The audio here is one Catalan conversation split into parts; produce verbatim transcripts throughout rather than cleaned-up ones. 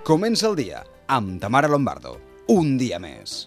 Comença el dia amb Tamara Lombardo. Un dia més.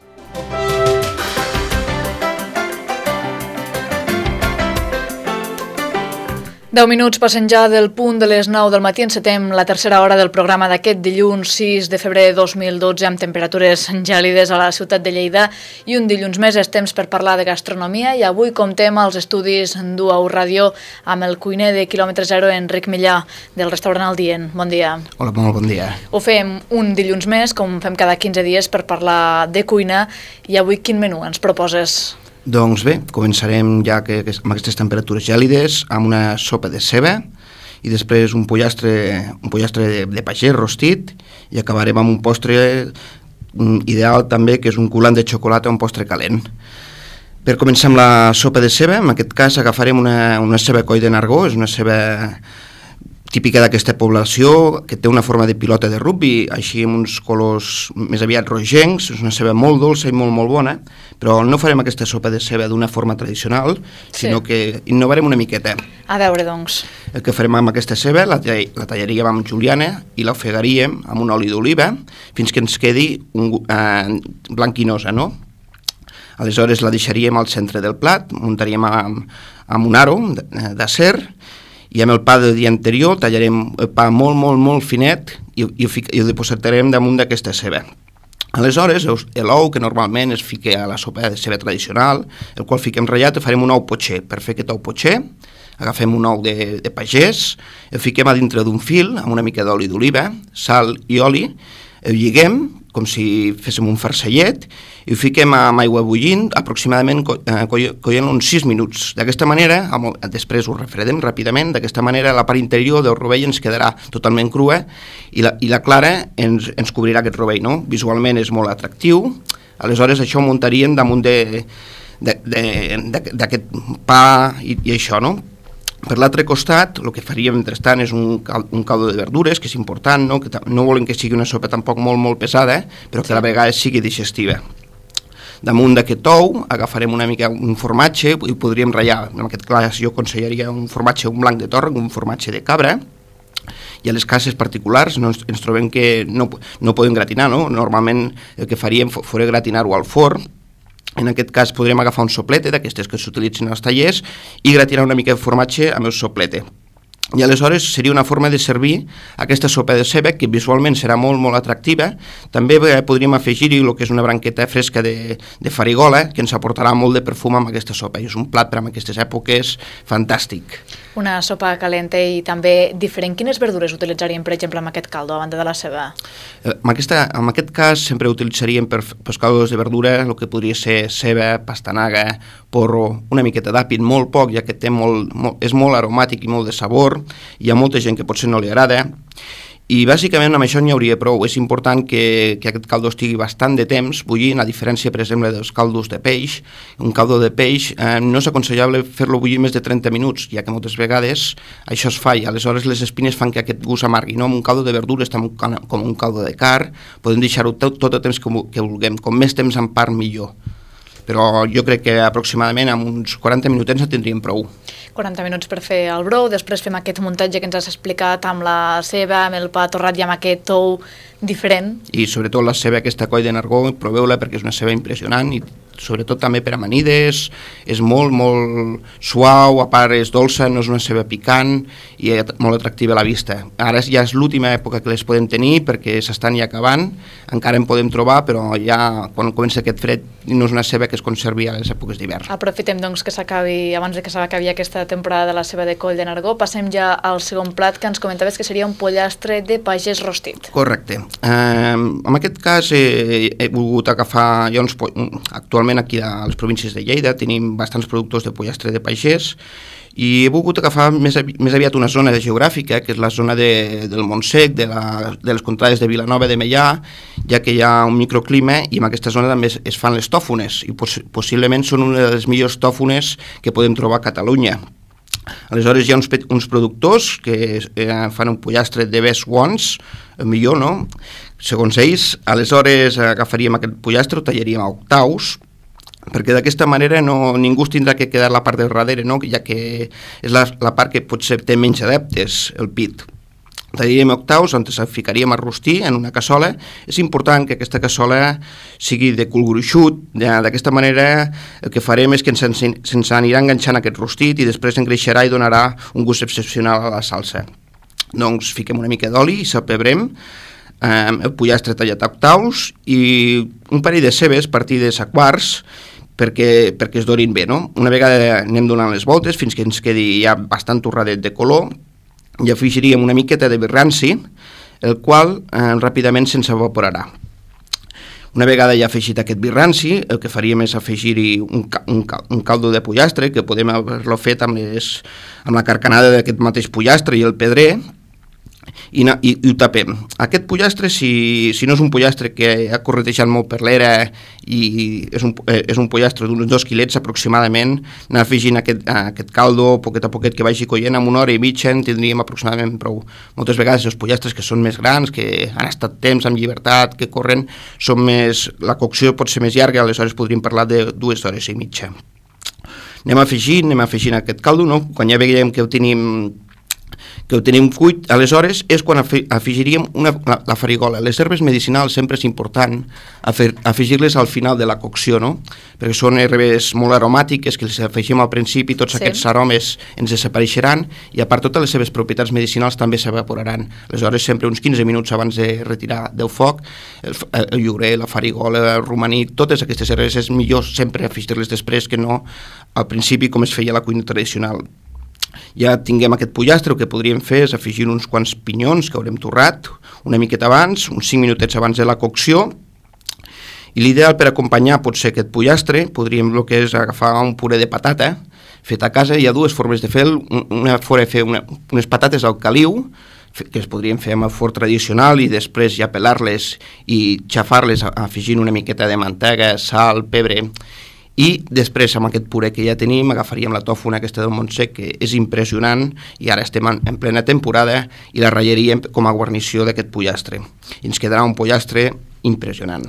Deu minuts passen ja del punt de les nou del matí. Encetem la tercera hora del programa d'aquest dilluns sis de febrer de dos mil dotze amb temperatures gèlides a la ciutat de Lleida i un dilluns més és temps per parlar de gastronomia i avui comptem als estudis d'U A U Ràdio amb el cuiner de quilòmetre zero, Enric Millà, del restaurant El Dient. Bon dia. Hola, molt bon dia. Ho fem un dilluns més, com fem cada quinze dies, per parlar de cuina i avui quin menú ens proposes? Doncs bé, començarem ja que, que amb aquestes temperatures gèlides amb una sopa de ceba i després un pollastre, un pollastre de, de pagès rostit i acabarem amb un postre ideal també, que és un coulant de xocolata, un postre calent. Per començar amb la sopa de ceba, en aquest cas agafarem una, una ceba coll de Nargó, és una ceba típica d'aquesta població, que té una forma de pilota de rugbi, així amb uns colors més aviat rogencs, és una ceba molt dolça i molt, molt bona, però no farem aquesta sopa de ceba d'una forma tradicional, sí. sinó que innovarem una miqueta. A veure, doncs. El que farem amb aquesta ceba, la, la tallaríem amb juliana i l'ofegaríem amb un oli d'oliva fins que ens quedi un, eh, blanquinosa, no? Aleshores la deixaríem al centre del plat, muntaríem amb, amb un aro d'acer, i amb el pa del dia anterior tallarem el pa molt, molt, molt finet i, i, i ho depositarem damunt d'aquesta ceba. Aleshores, l'ou, que normalment es fica a la sopa de ceba tradicional, el qual fiquem ratllat, farem un ou potxer. Per fer aquest ou potxer, agafem un ou de, de pagès, el fiquem a dintre d'un fil amb una mica d'oli d'oliva, sal i oli, el lliguem com si féssim un farcellet i ho fiquem amb aigua bullint aproximadament coient uns sis minuts. D'aquesta manera, després ho refredem ràpidament, d'aquesta manera la part interior del rovell ens quedarà totalment crua i la, i la clara ens, ens cobrirà aquest rovell, no? Visualment és molt atractiu, aleshores això ho muntaríem damunt d'aquest pa i, i això, no? Per l'altre costat, el que faríem mentrestant és un, cal, un caldo de verdures, que és important, no? Que no volem que sigui una sopa tampoc molt, molt pesada, però que a la vegada sigui digestiva. Damunt d'aquest ou agafarem una mica un formatge i podríem ratllar, en aquest cas jo aconsellaria un formatge, un blanc de torre, un formatge de cabra, i a les cases particulars no ens, ens trobem que no, no podem gratinar, no? Normalment el que faríem fora gratinar-ho al forn. En aquest cas podrem agafar un soplete d'aquestes que s'utilitzen als tallers i gratinar una mica de formatge amb el soplete. I aleshores seria una forma de servir aquesta sopa de ceba que visualment serà molt, molt atractiva. També podríem afegir-hi el que és una branqueta fresca de, de farigola que ens aportarà molt de perfum amb aquesta sopa. I és un plat per a aquestes èpoques fantàstic. Una sopa calenta i també diferent. Quines verdures utilitzaríem, per exemple, amb aquest caldo, a banda de la ceba? En, aquesta, en aquest cas sempre utilitzaríem per, per caldos de verdura el que podria ser ceba, pastanaga, porro, una miqueta d'àpid, molt poc, ja que té molt, molt, és molt aromàtic i molt de sabor. Hi ha molta gent que potser no li agrada i bàsicament amb això n'hi hauria prou. És important que, que aquest caldo estigui bastant de temps bullint, a diferència per exemple dels caldos de peix. Un caldo de peix eh, no és aconsellable fer-lo bullir més de trenta minuts, ja que moltes vegades això es fa i aleshores les espines fan que aquest gust amargui, no? Amb un caldo de verdures, com un caldo de carn, podem deixar-ho tot, tot el temps que, que vulguem, com més temps en part millor. Però jo crec que aproximadament amb uns quaranta minutets en tindríem prou. quaranta minuts per fer el brou, després fem aquest muntatge que ens has explicat amb la ceba, amb el pa torrat i amb aquest ou diferent. I sobretot la ceba aquesta coll de Nargó, proveu-la perquè és una ceba impressionant i sobretot també per amanides, és molt, molt suau, a part és dolça, no és una ceba picant i molt atractiva a la vista. Ara ja és l'última època que les podem tenir perquè s'estan ja acabant, encara en podem trobar, però ja quan comença aquest fred no és una ceba que es conservi a les èpoques d'hivern. Aprofitem doncs que s'acabi, abans de que s'acabi aquesta temporada de la ceba de coll de Nargó, passem ja al segon plat que ens comentaves que seria un pollastre de pagès rostit. Correcte. Eh, en aquest cas he, he volgut agafar, jo uns, actualment aquí a les províncies de Lleida tenim bastants productors de pollastre de pagès i he volgut agafar més, avi, més aviat una zona geogràfica, que és la zona de, del Montsec, de, la, de les contrades de Vilanova de Meià, ja que hi ha un microclima i en aquesta zona també es, es fan les tòfones i poss possiblement són una de les millors tòfones que podem trobar a Catalunya. Aleshores hi ha uns, uns productors que eh, fan un pollastre de best ones, el millor, no? Segons ells, aleshores agafaríem aquest pollastre, ho tallaríem a octaus, perquè d'aquesta manera no, ningú es tindrà que quedar la part del darrere, no? Ja que és la, la part que potser té menys adeptes, el pit. tallaríem octaus on se ficaríem a rostir en una cassola. És important que aquesta cassola sigui de cul gruixut. D'aquesta manera el que farem és que ens, ens anirà enganxant aquest rostit i després engreixarà i donarà un gust excepcional a la salsa. Doncs fiquem una mica d'oli i salpebrem eh, el pollastre tallat a octaus i un parell de cebes partides a quarts perquè, perquè es dorin bé, no? Una vegada anem donant les voltes fins que ens quedi ja bastant torradet de color i afegiríem una miqueta de vi ranci, el qual eh, ràpidament se'ns evaporarà. Una vegada ja afegit aquest vi ranci, el que faríem és afegir-hi un, un, un caldo de pollastre, que podem haver-lo fet amb, les, amb la carcanada d'aquest mateix pollastre i el pedrer, i, i, i ho tapem. Aquest pollastre, si, si no és un pollastre que ha corretejat molt per l'era i és un, és un pollastre d'uns dos quilets aproximadament, anar afegint aquest, aquest caldo poquet a poquet que vagi coient, amb una hora i mitja en tindríem aproximadament prou. Moltes vegades els pollastres que són més grans, que han estat temps amb llibertat, que corren, són més, la cocció pot ser més llarga, aleshores podríem parlar de dues hores i mitja. Anem afegint, anem afegint aquest caldo, no? Quan ja veiem que ho tenim que ho tenim cuit, aleshores és quan afegiríem una, la, la farigola. Les herbes medicinals sempre és important afegir-les al final de la cocció, no? Perquè són herbes molt aromàtiques que les afegim al principi, tots sí. Aquests aromes ens desapareixeran i a part totes les seves propietats medicinals també s'evaporaran. Aleshores sempre uns quinze minuts abans de retirar del foc, el, el llorer, la farigola, el romaní, totes aquestes herbes és millor sempre afegir-les després que no al principi com es feia la cuina tradicional. Ja tinguem aquest pollastre, el que podríem fer és afegir uns quants pinyons que haurem torrat una miqueta abans, uns cinc minutets abans de la cocció, i l'ideal per acompanyar pot ser aquest pollastre, podríem el que és agafar un puré de patata fet a casa. Hi ha dues formes de fer, una forma de fer una, unes patates al caliu, que es podrien fer amb el forn tradicional i després ja pelar-les i xafar-les afegint una miqueta de mantega, sal, pebre. I després, amb aquest puré que ja tenim, agafaríem la tòfona aquesta del Montsec, que és impressionant, i ara estem en plena temporada, i la ratllaríem com a guarnició d'aquest pollastre. I ens quedarà un pollastre impressionant.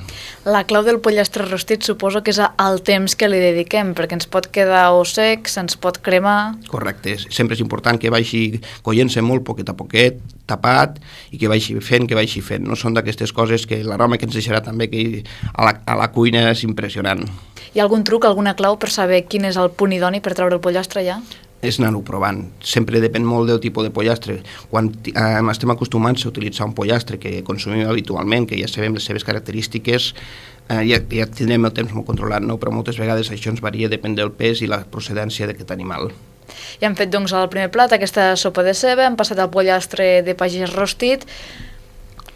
La clau del pollastre rostit suposo que és el temps que li dediquem, perquè ens pot quedar o sec, se'ns pot cremar... Correcte, sempre és important que vagi coient-se molt poquet a poquet, tapat, i que vagi fent, que vagi fent. No són d'aquestes coses que l'aroma que ens deixarà també que a la, a la cuina és impressionant. Hi ha algun truc, alguna clau per saber quin és el punt idoni per treure el pollastre ja? És anar-ho provant. Sempre depèn molt del tipus de pollastre. Quan eh, estem acostumats a utilitzar un pollastre que consumim habitualment, que ja sabem les seves característiques, eh, ja, ja tindrem el temps molt controlat, no? Però moltes vegades això ens varia, depèn del pes i la procedència d'aquest animal. Ja hem fet doncs el primer plat, aquesta sopa de ceba, hem passat al pollastre de pagès rostit.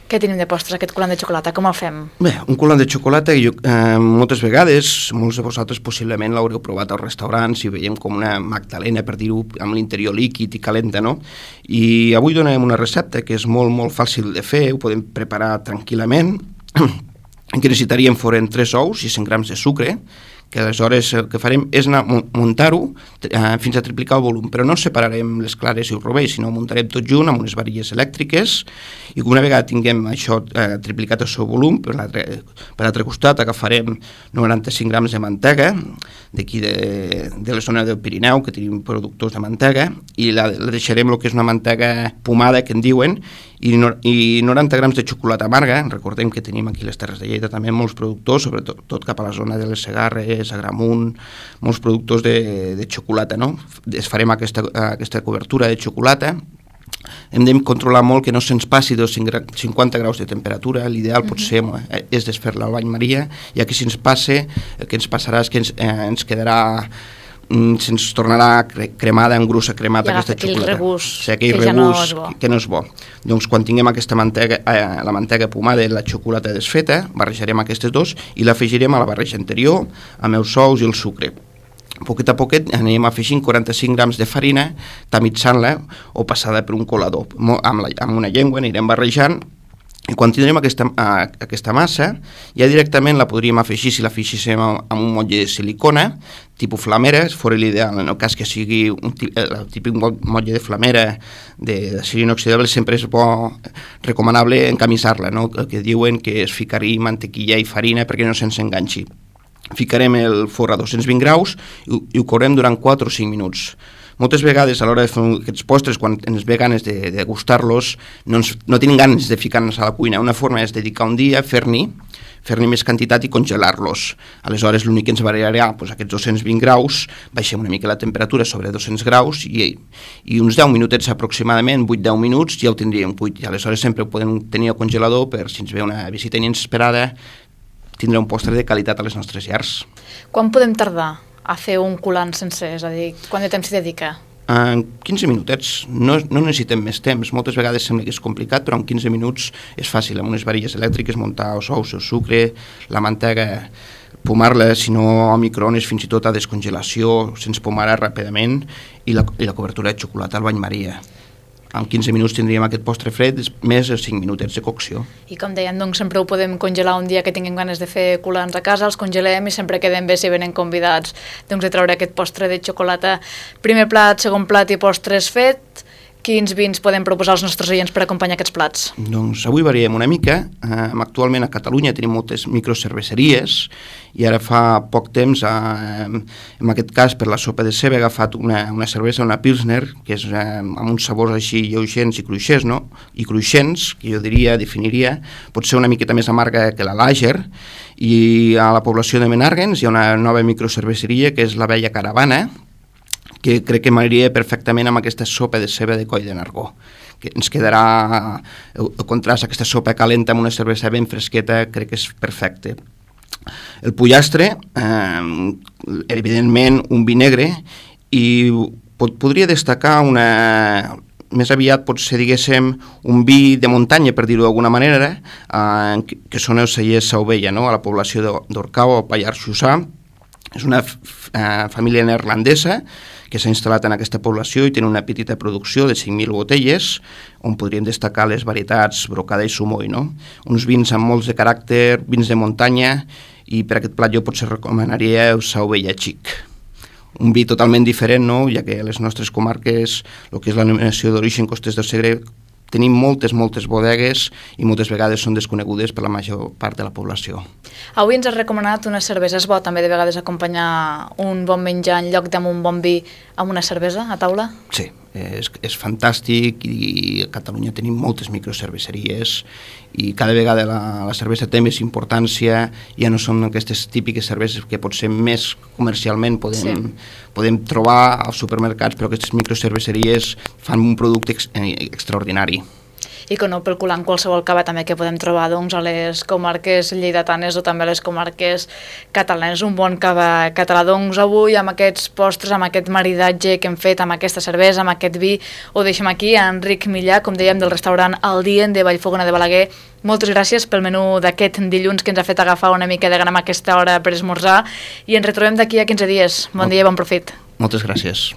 Què tenim de postres, aquest coulant de xocolata? Com el fem? Bé, un coulant de xocolata, jo, eh, moltes vegades, molts de vosaltres possiblement l'haureu provat als restaurants i veiem com una magdalena, per dir-ho, amb l'interior líquid i calenta, no? I avui donarem una recepta que és molt, molt fàcil de fer, ho podem preparar tranquil·lament, que necessitaríem foren tres ous i cent grams de sucre, que aleshores el que farem és anar muntar-ho eh, fins a triplicar el volum, però no separarem les clares i el rovell, sinó muntarem tot junt amb unes varilles elèctriques i una vegada tinguem això eh, triplicat el seu volum, per l'altre per l'altre costat agafarem noranta-cinc grams de mantega d'aquí de, de la zona del Pirineu, que tenim productors de mantega, i la, la deixarem el que és una mantega pomada, que en diuen, i, no, i noranta grams de xocolata amarga. Recordem que tenim aquí les Terres de Lleida també molts productors, sobretot tot cap a la zona de les Segarres, Agramunt, molts productors de, de xocolata, no? Es farem aquesta, aquesta cobertura de xocolata. Hem de controlar molt que no se'ns passi dels cinquanta graus de temperatura. L'ideal uh-huh. potser és desfer-la al bany Maria, ja que si ens passe, el que ens passarà és que ens, eh, ens quedarà se'ns tornarà cremada, en grussa cremada aquesta xocolata. I agafa aquell regust, o sigui, aquell que regust ja no és bo. Que no és bo. Doncs quan tinguem aquesta mantega, eh, la mantega pomada i la xocolata desfeta, barrejarem aquestes dos i l'afegirem a la barreja anterior amb els ous i el sucre. Poquet a poquet anem afegint quaranta-cinc grams de farina, tamitzant-la o passada per un colador. Amb, la, amb una llengua anirem barrejant. I quan tindrem aquesta, uh, aquesta massa, ja directament la podríem afegir, si la afegíssim amb un motlle de silicona, tipus flamera, fora l'ideal, en el cas que sigui un el típic motlle de flamera de d'acer inoxidable, sempre és bo, recomanable encamisar-la, no? El que diuen que és ficar-hi mantequilla i farina perquè no se'ns enganxi. Ficarem el forn a dos-cents vint graus i, i ho courem durant quatre o cinc minuts. moltes vegades a l'hora de fer aquests postres, quan ens ve ganes de, de gustar-los, no, ens, no tenim ganes de ficar-nos a la cuina. Una forma és dedicar un dia a fer-n'hi, fer-n'hi més quantitat i congelar-los. Aleshores, l'únic que ens variarà, doncs, aquests dos-cents vint graus, baixem una mica la temperatura sobre dos-cents graus i, i uns deu minutets aproximadament, vuit deu minuts, ja ho tindríem cuit. I aleshores sempre ho podem tenir al congelador per si ens ve una visita inesperada, tindrà un postre de qualitat a les nostres llars. Quan podem tardar a fer un coulant sencer? És a dir, quant de temps s'hi dedica? En quinze minutets, no, no necessitem més temps. Moltes vegades sembla que és complicat, però en quinze minuts és fàcil. Amb unes varilles elèctriques muntar els ous, el sucre, la mantega, pomar-la, si no a microones, fins i tot a descongelació, sense pomar-la ràpidament, i la, i la cobertura de xocolata al bany Maria. En quinze minuts tindríem aquest postre fred, més de cinc minutets de cocció. I com deien, doncs sempre ho podem congelar un dia que tinguem ganes de fer coulants a casa, els congelem i sempre quedem bé si venen convidats doncs, de treure aquest postre de xocolata. Primer plat, segon plat i postres fet. Quins vins podem proposar als nostres oients per acompanyar aquests plats? Doncs avui variem una mica. Eh, actualment a Catalunya tenim moltes microcerveseries i ara fa poc temps, eh, en aquest cas per la sopa de ceba, he agafat una, una cervesa, una Pilsner, que és eh, amb uns sabors així lleugents i cruixents, no? I cruixents, que jo diria, definiria, pot ser una miqueta més amarga que la Lager, i a la població de Menàrguens hi ha una nova microcerveseria que és la Vella Caravana, que crec que m'aniria perfectament amb aquesta sopa de ceba de coll de Nargó, que ens quedarà el, el contrast, aquesta sopa calenta amb una cervesa ben fresqueta, crec que és perfecte. El pollastre, eh, evidentment un vi negre, i pot, podria destacar una... més aviat potser diguéssim un vi de muntanya, per dir-ho d'alguna manera, eh, que, que són els cellers Sauvella, no? A la població d'Orcau, al Pallars Jussà. És una uh, família neerlandesa que s'ha instal·lat en aquesta població i té una petita producció de cinc mil botelles, on podríem destacar les varietats Brocada i Sumoi, no? Uns vins amb molts de caràcter, vins de muntanya, i per aquest plat jo potser recomanaria el Sauvella Xic. Un vi totalment diferent, no? Ja que a les nostres comarques, el que és la denominació d'origen Costers del Segre, tenim moltes, moltes bodegues i moltes vegades són desconegudes per la major part de la població. Avui ens has recomanat una cervesa. És bo també de vegades acompanyar un bon menjar en lloc d'amb un bon vi amb una cervesa a taula? Sí, és, és fantàstic, i a Catalunya tenim moltes microcerveseries i cada vegada la, la cervesa té més importància. Ja no són aquestes típiques cerveses que potser més comercialment podem, sí. podem trobar als supermercats, però aquestes microcerveseries fan un producte ex, eh, extraordinari. I que no pel coulant qualsevol cava també que podem trobar doncs, a les comarques lleidatanes o també a les comarques catalanes. Un bon cava català. Doncs avui amb aquests postres, amb aquest maridatge que hem fet amb aquesta cervesa, amb aquest vi, ho deixem aquí. Enric Millà, com dèiem, del restaurant El Dien de Vallfogona de Balaguer. Moltes gràcies pel menú d'aquest dilluns que ens ha fet agafar una mica de gana a aquesta hora per esmorzar, i ens retrobem d'aquí a quinze dies. Bon dia i bon profit. Moltes gràcies.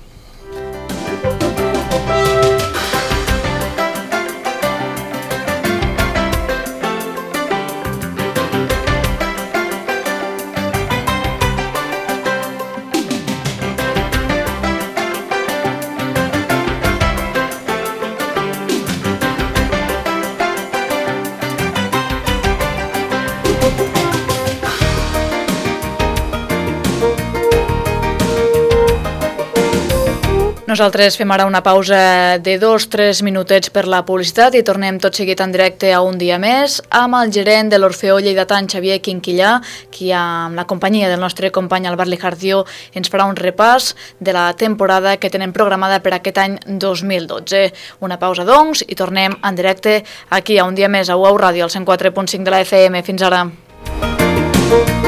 Nosaltres fem ara una pausa de dos o tres minutets per la publicitat i tornem tot seguit en directe a Un dia més amb el gerent de l'Orfeó lleidatà, Xavier Quinquillà, qui amb la companyia del nostre company Albert Lijardió ens farà un repàs de la temporada que tenen programada per aquest any dos mil dotze. Una pausa, doncs, i tornem en directe aquí a Un dia més a U A U Ràdio, al cent quatre punt cinc de la F M. Fins ara. Thank you.